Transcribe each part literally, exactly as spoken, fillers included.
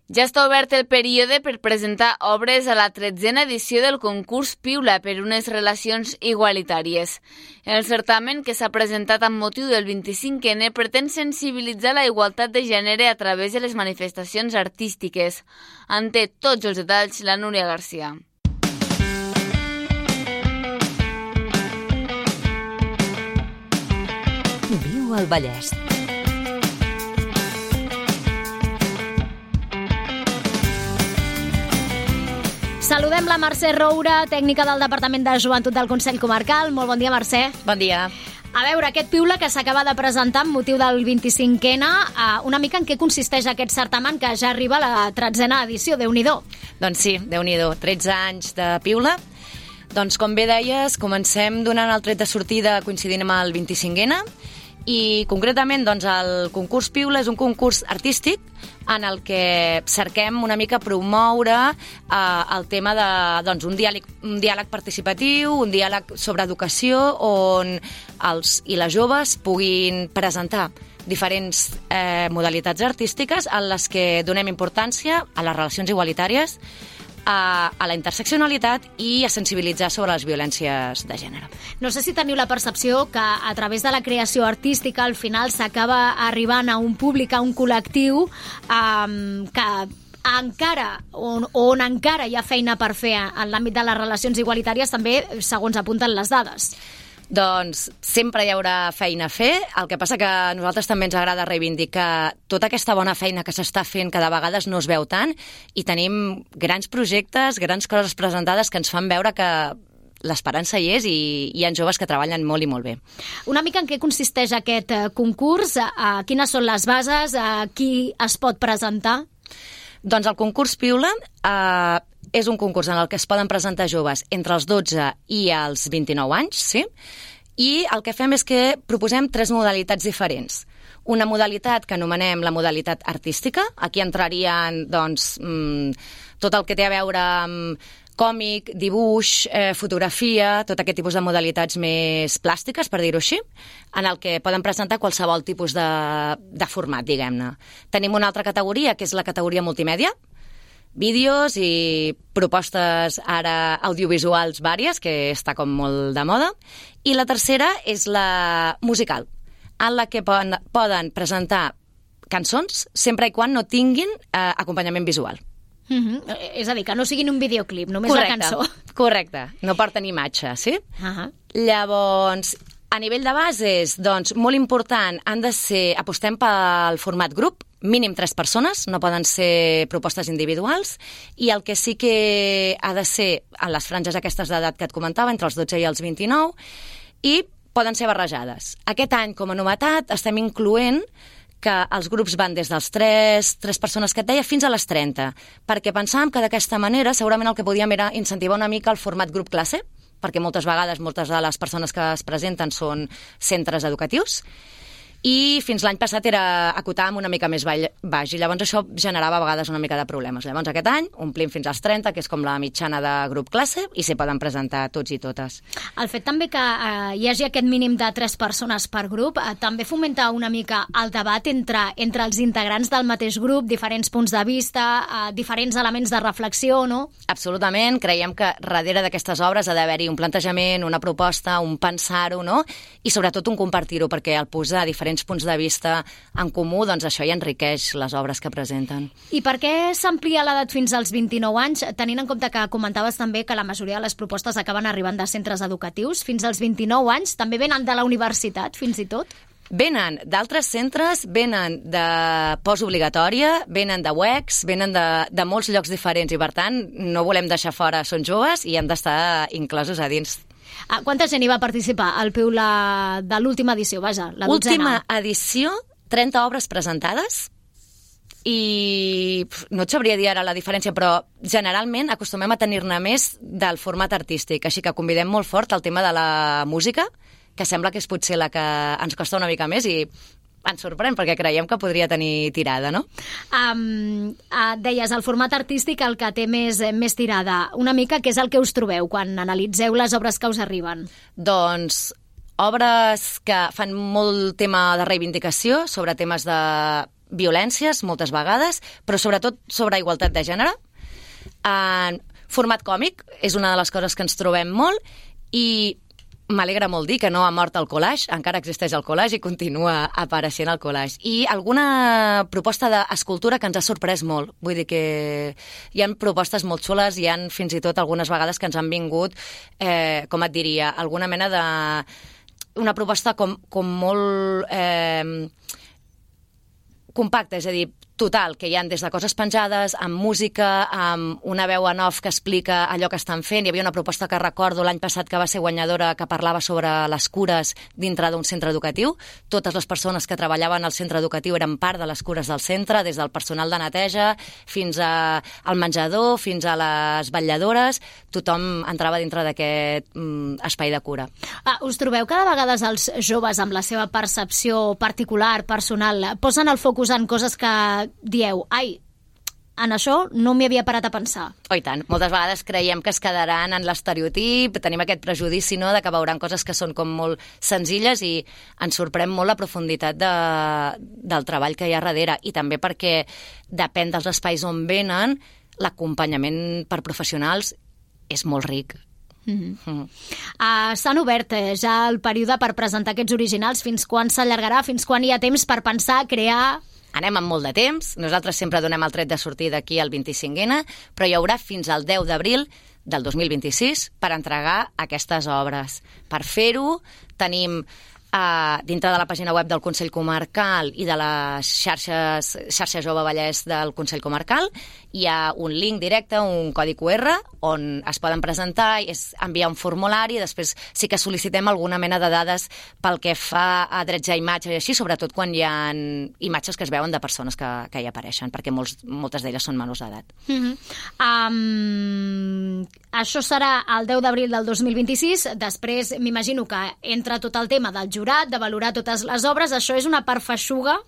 Ja està obert el període per presentar obres a la tretzena edició del concurs Piula per unes relacions igualitàries. El certamen, que s'ha presentat amb motiu del vint-i-cinquè ene, pretén sensibilitzar la igualtat de gènere a través de les manifestacions artístiques. En té tots els detalls la Núria Garcia. Viu al Vallès. Saludem la Mercè Roura, tècnica del Departament de Joventut del Consell Comarcal. Molt bon dia, Mercè. Bon dia. A veure, aquest Piula que s'acaba de presentar amb motiu del vint-i-cinquè ene, una mica en què consisteix aquest certamen que ja arriba a la tretzena edició, Déu-n'hi-do. Doncs sí, Déu-n'hi-do, tretze anys de Piula. Doncs com bé deies, comencem donant el tret de sortida coincidint amb el vint-i-cinquè ene i concretament doncs, el concurs Piula és un concurs artístic en el que cerquem una mica promoure eh, el tema de doncs, un, diàleg, un diàleg participatiu, un diàleg sobre educació on els i les joves puguin presentar diferents eh, modalitats artístiques en les que donem importància a les relacions igualitàries, a, a la interseccionalitat i a sensibilitzar sobre les violències de gènere. No sé si teniu la percepció que a través de la creació artística al final s'acaba arribant a un públic, a un col·lectiu um, que encara, on, on encara hi ha feina per fer en l'àmbit de les relacions igualitàries, també segons apunten les dades. Doncs sempre hi haurà feina a fer, el que passa que a nosaltres també ens agrada reivindicar tota aquesta bona feina que s'està fent, que de vegades no es veu tant, i tenim grans projectes, grans coses presentades que ens fan veure que l'esperança hi és i hi ha joves que treballen molt i molt bé. Una mica en què consisteix aquest concurs? Quines són les bases? Qui es pot presentar? Doncs el concurs Piula eh, és un concurs en el que es poden presentar joves entre els dotze i els vint-i-nou anys, sí? I el que fem és que proposem tres modalitats diferents. Una modalitat que anomenem la modalitat artística. Aquí entrarien doncs, tot el que té a veure amb còmic, dibuix, eh, fotografia, tot aquest tipus de modalitats més plàstiques, per dir-ho així, en el que poden presentar qualsevol tipus de, de format, diguem-ne. Tenim una altra categoria, que és la categoria multimèdia, vídeos i propostes ara audiovisuals vàries, que està com molt de moda. I la tercera és la musical, en la que poden, poden presentar cançons sempre i quan no tinguin eh, acompanyament visual. Mm-hmm. És a dir, que no siguin un videoclip, només correcte, la cançó. Correcte, no porten imatge, sí? Uh-huh. Llavors, a nivell de bases, doncs, molt important, han de ser, apostem pel format grup, mínim tres persones, no poden ser propostes individuals, i el que sí que ha de ser en les franges aquestes d'edat que et comentava, entre els dotze i els vint-i-nou, i poden ser barrejades. Aquest any, com a novetat, estem incloent que els grups van des dels tres, tres persones que et deia fins a les trenta, perquè pensàvem que d'aquesta manera segurament el que podíem era incentivar una mica el format grup classe, perquè moltes vegades moltes de les persones que es presenten són centres educatius, i fins l'any passat era acotar amb una mica més baix, i llavors això generava a vegades una mica de problemes. Llavors aquest any omplim fins als trenta, que és com la mitjana de grup classe, i s'hi poden presentar tots i totes. El fet també que eh, hi hagi aquest mínim de tres persones per grup eh, també fomenta una mica el debat entre, entre els integrants del mateix grup, diferents punts de vista, eh, diferents elements de reflexió, no? Absolutament, creiem que darrere d'aquestes obres ha d'haver-hi un plantejament, una proposta, un pensar-ho, no? I sobretot un compartir-ho, perquè al posar diferents punts de vista en comú, doncs això ja enriqueix les obres que presenten. I per què s'amplia l'edat fins als vint-i-nou anys, tenint en compte que comentaves també que la majoria de les propostes acaben arribant de centres educatius? Fins als vint-i-nou anys també venen de la universitat, fins i tot? Venen d'altres centres, venen de postobligatòria, venen de U E X, venen de, de molts llocs diferents, i per tant no volem deixar fora Són Joves i han d'estar inclosos a dins. Ah, quanta gent hi va participar al Piula de l'última edició, vaja, la dotzena? Última edició, trenta obres presentades, i no et sabria dir ara la diferència, però generalment acostumem a tenir-ne més del format artístic, així que convidem molt fort el tema de la música, que sembla que és potser la que ens costa una mica més, i ens sorprèn perquè creiem que podria tenir tirada, no? Um, uh, deies, el format artístic el que té més, més tirada. Una mica, què és el que us trobeu quan analitzeu les obres que us arriben? Doncs obres que fan molt tema de reivindicació sobre temes de violències, moltes vegades, però sobretot sobre igualtat de gènere. En format còmic és una de les coses que ens trobem molt i m'alegra molt dir que no ha mort el collage, encara existeix el collage i continua apareixent el collage. I alguna proposta d'escultura que ens ha sorprès molt. Vull dir que hi ha propostes molt xules, hi ha fins i tot algunes vegades que ens han vingut, eh, com et diria, alguna mena de... una proposta com, com molt eh, compacta, és a dir, total, que hi ha des de coses penjades, amb música, amb una veu en off que explica allò que estan fent. Hi havia una proposta que recordo l'any passat que va ser guanyadora que parlava sobre les cures dintre d'un centre educatiu. Totes les persones que treballaven al centre educatiu eren part de les cures del centre, des del personal de neteja fins a, al menjador, fins a les vetlladores. Tothom entrava dintre d'aquest mm, espai de cura. Ah, us trobeu que de vegades els joves, amb la seva percepció particular, personal, posen el focus en coses que dieu, ai, en això no m'hi havia parat a pensar. Oh, i tant. Moltes vegades creiem que es quedaran en l'estereotip, tenim aquest prejudici, no?, de que veuran coses que són com molt senzilles i ens sorprèn molt la profunditat de, del treball que hi ha darrere. I també perquè depèn dels espais on venen, l'acompanyament per professionals és molt ric. Mm-hmm. Mm. Uh, s'han obert eh, ja el període per presentar aquests originals. Fins quan s'allargarà? Fins quan hi ha temps per pensar, crear... Anem amb molt de temps, nosaltres sempre donem el tret de sortida aquí al vint-i-cinc ena, però hi haurà fins al deu d'abril del dos mil vint-i-sis per entregar aquestes obres. Per fer-ho tenim eh, dintre de la pàgina web del Consell Comarcal i de les xarxes, xarxa Jove Vallès del Consell Comarcal, hi ha un link directe, un codi cu erre, on es poden presentar, és enviar un formulari, i després sí que sol·licitem alguna mena de dades pel que fa a drets a imatge i així, sobretot quan hi ha imatges que es veuen de persones que, que hi apareixen, perquè molts, moltes d'elles són menors d'edat. Mm-hmm. um, això serà el deu d'abril del dos mil vint-i-sis, després m'imagino que entra tot el tema del jurat, de valorar totes les obres. Això és una part feixuga?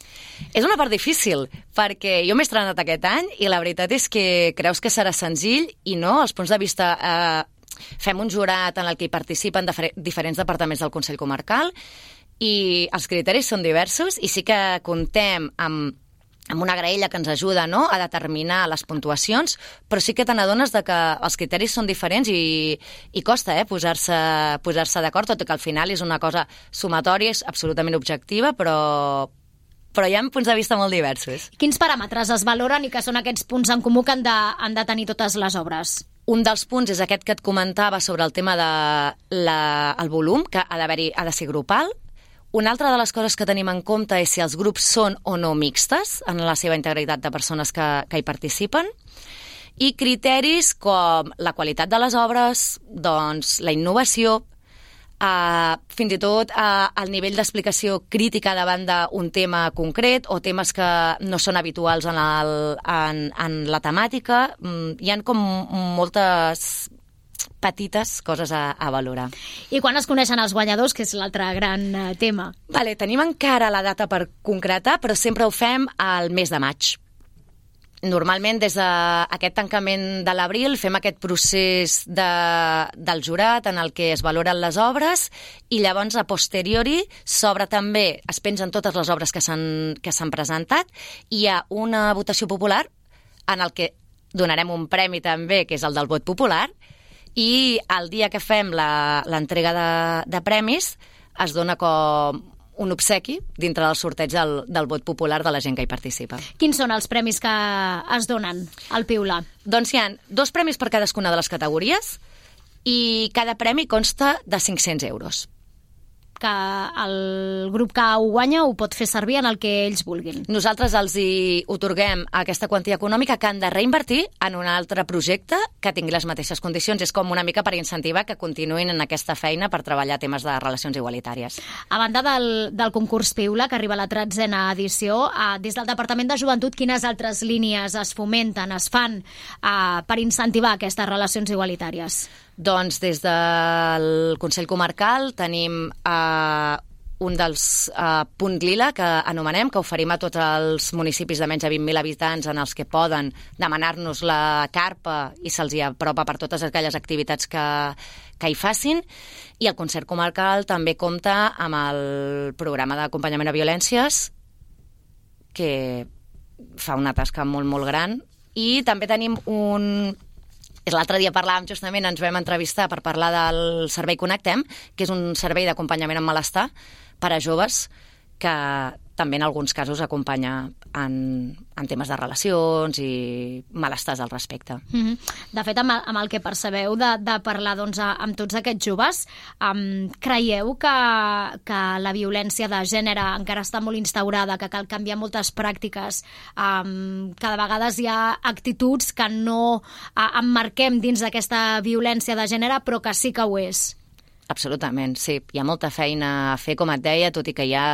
És una part difícil, perquè jo m'he estrenat aquest any i la veritat és que creus que serà senzill i no, els punts de vista... Eh, fem un jurat en el que hi participen diferents departaments del Consell Comarcal i els criteris són diversos i sí que contem amb, amb una graella que ens ajuda, no?, a determinar les puntuacions, però sí que te n'adones de que els criteris són diferents i, i costa eh, posar-se posar-se d'acord, tot i que al final és una cosa sumatòria, és absolutament objectiva, però... però hi ha punts de vista molt diversos. Quins paràmetres es valoren i que són aquests punts en comú que han de, han de tenir totes les obres? Un dels punts és aquest que et comentava sobre el tema del de volum, que ha d'haver-hi, ha de ser grupal. Una altra de les coses que tenim en compte és si els grups són o no mixtes en la seva integritat de persones que, que hi participen. I criteris com la qualitat de les obres, doncs la innovació, Uh, fins i tot uh, el nivell d'explicació crítica davant d'un tema concret o temes que no són habituals en, el, en, en la temàtica. Mm, hi ha com moltes petites coses a, a valorar. I quan es coneixen els guanyadors, que és l'altre gran uh, tema? Vale, tenim encara la data per concretar, però sempre ho fem al mes de maig. Normalment, des d'aquest tancament de l'abril, fem aquest procés de, del jurat en el que es valoren les obres i llavors, a posteriori, s'obre també, es pengen totes les obres que s'han que s'han presentat i hi ha una votació popular en el que donarem un premi també, que és el del vot popular, i el dia que fem l'entrega de, de premis es dona com un obsequi dintre del sorteig del, del vot popular de la gent que hi participa. Quins són els premis que es donen al Piula? Doncs hi ha dos premis per cadascuna de les categories i cada premi consta de cinc-cents euros. Que el grup que ho guanya ho pot fer servir en el que ells vulguin. Nosaltres els hi otorguem aquesta quantia econòmica que han de reinvertir en un altre projecte que tingui les mateixes condicions. És com una mica per incentivar que continuïn en aquesta feina per treballar temes de relacions igualitàries. A banda del, del concurs Piula, que arriba a la tretzena edició, eh, des del Departament de Joventut, quines altres línies es fomenten, es fan eh, per incentivar aquestes relacions igualitàries? Doncs des del Consell Comarcal tenim eh, un dels eh, punts lila que anomenem, que oferim a tots els municipis de menys de vint mil habitants en els que poden demanar-nos la carpa i se'ls hi apropa per totes aquelles activitats que, que hi facin. I el Consell Comarcal també compta amb el programa d'acompanyament a violències, que fa una tasca molt, molt gran. I també tenim un... L'altre dia parlàvem justament, ens vam entrevistar per parlar del servei Connectem, que és un servei d'acompanyament en malestar per a joves que també en alguns casos acompanya en, en temes de relacions i malestars al respecte. Mm-hmm. De fet, amb el, amb el que percebeu de, de parlar doncs, amb tots aquests joves, um, creieu que, que la violència de gènere encara està molt instaurada, que cal canviar moltes pràctiques, um, que de vegades hi ha actituds que no uh, emmarquem dins d'aquesta violència de gènere, però que sí que ho és? Absolutament, sí. Hi ha molta feina a fer, com et deia, tot i que hi ha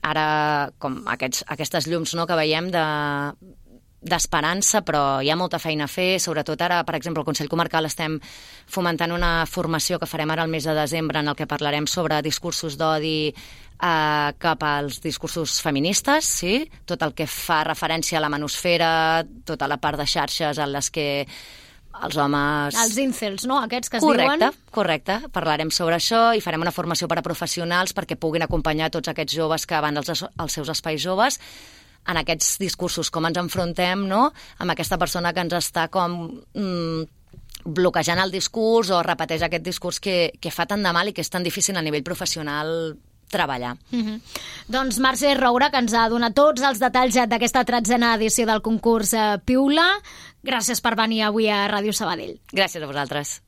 ara com aquests, aquestes llums, no?, que veiem de, d'esperança, però hi ha molta feina a fer, sobretot ara, per exemple, al Consell Comarcal estem fomentant una formació que farem ara al mes de desembre en el que parlarem sobre discursos d'odi eh, cap als discursos feministes, sí? Tot el que fa referència a la manosfera, tota la part de xarxes en les que els homes... Els incels, no? Aquests que es correcte, diuen... Correcte, correcte. Parlarem sobre això i farem una formació per a professionals perquè puguin acompanyar tots aquests joves que van als, als seus espais joves en aquests discursos, com ens enfrontem, no?, amb aquesta persona que ens està com mm, bloquejant el discurs o repeteix aquest discurs que, que fa tant de mal i que és tan difícil a nivell professional treballar. Mm-hmm. Doncs Mercè Roura, que ens ha donat tots els detalls d'aquesta tretzena edició del concurs eh, Piula. Gràcies per venir avui a Ràdio Sabadell. Gràcies a vosaltres.